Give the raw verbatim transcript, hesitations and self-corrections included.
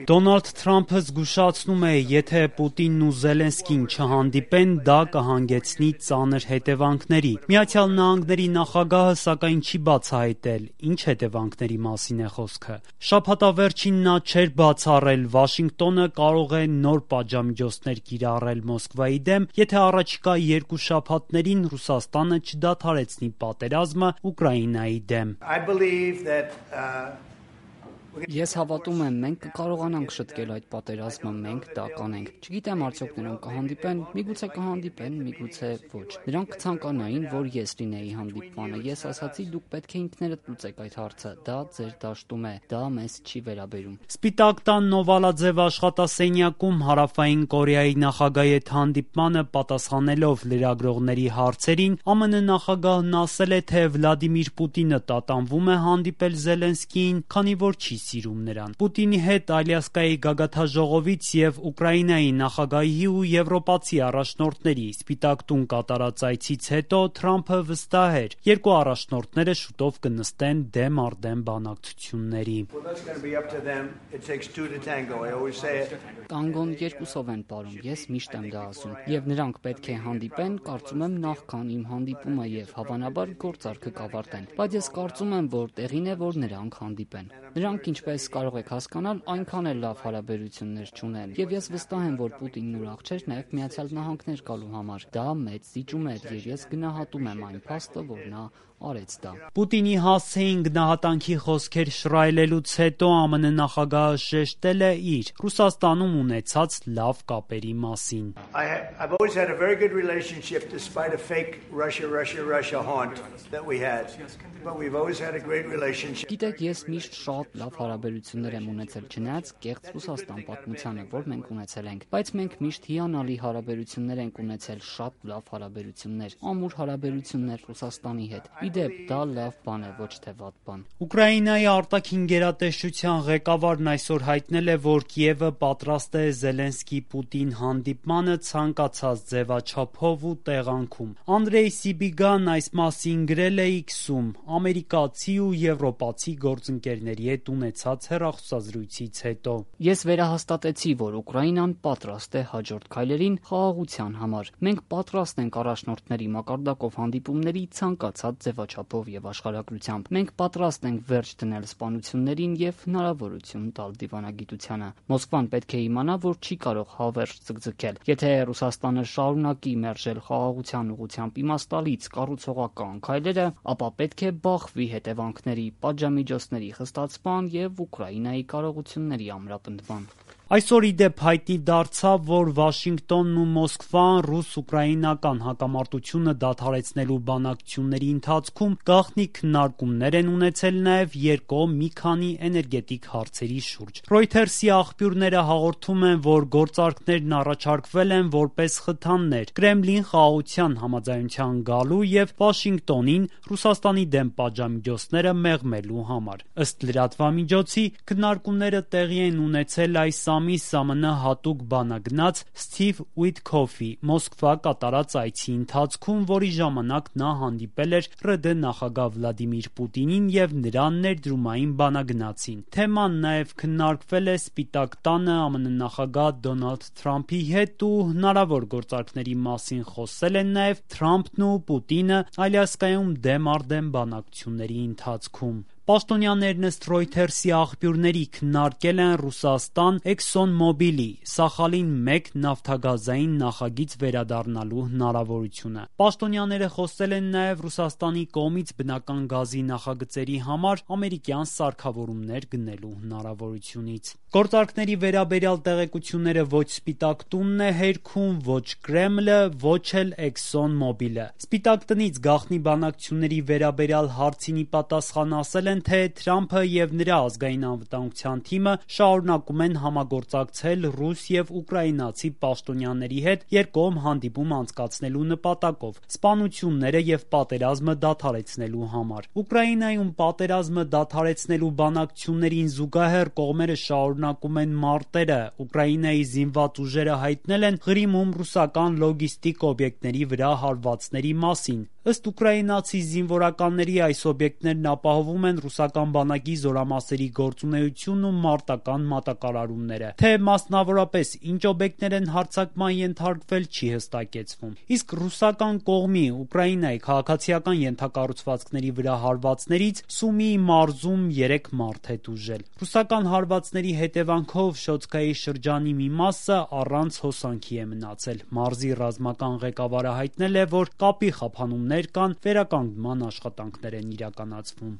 Դոնալդ Թրամփը զգուշացնում է, եթե Պուտինն ու Զելենսկին չհանդիպեն, դա կհանգեցնի ծանր հետևանքների։ Միացյալ Նահանգների նախագահը սակայն չի բացահայտել, ինչ հետևանքների մասին է խոսքը։ Շաբաթավերջին նա չէր բացառել, Վաշինգտոնը կարող է նոր պատժամիջոցներ կիրառել Մոսկվայի դեմ, եթե առաջիկա երկու շաբաթներին Ռուսաստանը չդադարեցնի պատերազմը Ուկրաինայի դեմ։ Ես հավատում եմ, մենք կկարողանանք շտկել այդ պատերազմը, մենք դա կանենք։ Չգիտեմ արդյոք նրանք կհանդիպեն, միգուցե կհանդիպեն, միգուցե ոչ։ Նրանք կցանկանային, որ ես լինեի հանդիպմանը։ Ես ասացի, դուք պետք է ինքներդ լուծեք այդ հարցը։ Դա ձեր դաշտում է, դա մեզ չի վերաբերում։ Սպիտակ տան նովալաձև աշխատասենյակում Հարավային Կորեայի նախագահի հետ հանդիպմանը պատասխանելով լրագրողների հարցերին, ԱՄՆ նախագահն ասել է, թե Վլադիմիր Պուտինը տատանվում է հանդիպել Զելենսկիին, քանի որ չի սիրում նրան։ Պուտինի հետ Ալյասկայի գագաթաժողովից եւ Ուկրաինայի նախագահի ու եվրոպացի առաջնորդների Սպիտակ տուն կատարած այցից հետո Թրամփը վստահ էր, երկու առաջնորդները շուտով կնստեն դեմ առ դեմ բանակցությունների։ Տանգոն երկուսով են պարում, ես միշտ եմ դա ասում, եւ նրանք պետք է հանդիպեն, կարծում եմ նախքան իմ հանդիպումը եւ հավանաբար գործարքը կավարտեն, բայց ես կարծում եմ, որ տեղին է, որ նրանք հանդիպեն։ Նրանք, ինչպես կարող եք հասկանալ, այնքան էլ լավ հարաբերություններ չունեն, եւ ես վստահ եմ, որ Պուտինն ուրախ չէր նաեւ Միացյալ Նահանգներ գալու համար։ Դա մեծ զիջում էր, եւ ես գնահատում եմ այն փաստը, որ նա արեց դա։ Պուտինի հասցեին գնահատանքի խոսքեր շռայլելուց հետո ԱՄՆ նախագահը շեշտել է իր Ռուսաստանում ունեցած լավ կապերի մասին։ Գիտեք, ես միշտ շատ լավ հարաբերություններ եմ ունեցել, չնայած կեղծ Ռուսաստան պատմությանը, որ մենք ունեցել ենք, բայց մենք միշտ հիանալի հարաբերություններ ենք ունեցել, շատ լավ հարաբերություններ, ամուր հարաբերություններ Ռուսաստանի հետ։ Իդեպ, դա լավ բան է, ոչ թե վատ բան։ Ուկրաինայի արտաքին գերատեսչության ղեկավարն այսօր հայտնել է, որ Կիևը պատրաստ է Զելենսկի-Պուտին հանդիպմանը ցանկացած ձևաչափով ու տեղանքում։ Անդրեյ Սիբիգան այս մասին գրել է X-ում ամերիկացի ու եվրոպացի գործընկերների հետ ունեցած հեռախոսազրույցից հետո։ Ես վերահաստատեցի, որ Ուկրաինան պատրաստ է հաջորդ քայլերին խաղաղության համար։ Մենք պատրաստ ենք առաջնորդների մակարդակով հանդիպումների ցանկացած ձևաչափով եւ աշխարհագրությամբ։ Մենք պատրաստ ենք վերջ դնել սպանություններին եւ հնարավորություն տալ դիվանագիտությանը։ Մոսկվան պետք է իմանա, որ չի կարող հավերժ ձգձգել։ Եթե Ռուսաստանը շարունակի մերժել խաղաղության ուղղությամբ իմաստալից կառուցողական քայլերը, ապա պետք է բախվի հետևանքների, պատժամիջոցների խստացման եւ Ուկրաինայի կարողությունների ամրապնդման։ Այսօր ի դեպ հայտնի դարձավ, որ Վաշինգտոնն ու Մոսկվան ռուս-ուկրաինական հակամարտությունը դադարեցնելու բանակցությունների ընթացքում գաղտնի քննարկումներ են ունեցել նաև երկկողմ մի քանի էներգետիկ հարցերի շուրջ։ Reuters-ի աղբյուրները հաղորդում են, որ գործարքներն առաջարկվել են որպես խթաններ Կրեմլին խաղաղության համաձայնության գալու եւ Վաշինգտոնին Ռուսաստանի դեմ պատժամիջոցները մեղմելու համար։ Ըստ լրատվամիջոցի, քննարկումները տեղի են ունեցել այս ամիս ԱՄՆ հատուկ բանագնաց Սթիվ Ուիթքոֆի Մոսկվա կատարած այցի ընթացքում, որի ժամանակ նա հանդիպել էր ՌԴ նախագահ Վլադիմիր Պուտինին եւ նրան ներդրումային բանագնացին։ Թեման նաեւ քննարկվել է Սպիտակ տանը ԱՄՆ նախագահ Դոնալդ Թրամփի հետ ու հնարավոր գործարքների մասին խոսել են նաեւ Թրամփն ու Պուտինը Ալյասկայում դեմ առ դեմ բանակցությունների ընթացքում։ Պաշտոնյաներն ըստ Reuters-ի աղբյուրների քննարկել են Ռուսաստան Exxon Mobil-ի Սախալին մեկ նավթագազային նախագիծ վերադառնալու հնարավորությունը։ Պաշտոնյաները խոսել են նաև Ռուսաստանի կողմից բնական գազի նախագծերի համար ամերիկյան սարքավորումներ գնելու հնարավորությունից։ Գործարքների վերաբերյալ տեղեկությունները ոչ Սպիտակ տունն է հերքում, ոչ Կրեմլը, ոչ էլ Exxon Mobil-ը։ Սպիտակ տնից գաղտնի բանակցությունների վերաբերյալ հարցին ի պատասխան ասել են, թե Թրամփը եւ նրա ազգային անվտանգության թիմը շարունակում են համագործակցել ռուս եւ ուկրաինացի պաշտոնյաների հետ երկկողմ հանդիպում անցկացնելու նպատակով սպանությունները եւ պատերազմը դադարեցնելու համար։ Ուկրաինայում պատերազմը դադարեցնելու բանակցություններին զուգահեռ կողմերը շարունակում են մարտերը։ Ուկրաինայի զինված ուժերը հայտնել են Ղրիմում ռուսական լոգիստիկ օբյեկտների վրա հարվածների մասին։ Ըստ ուկրաինացի զինվորականների, այս օբյեկտներն ապահովում են ռուսական բանակի զորամասերի գործունեությունն ու մարտական մատակարարումները։ Թե մասնավորապես ինչ օբյեկտներ են հարձակման ենթարկվել, չի հստակեցվում։ Իսկ ռուսական կողմի Ուկրաինայի քաղաքացիական ենթակառուցվածքների վրա հարվածներից Սումիի մարզում երեք մարդ է տուժել։ Ռուսական հարվածների հետևանքով Շոտկայի շրջանի մի մասը առանց հոսանքի է մնացել։ Մարզի ռազմական ղեկավարը հայտնել է, որ կապի խափանումներ կան, վերականգնման աշխատանքներ են իրականացվում։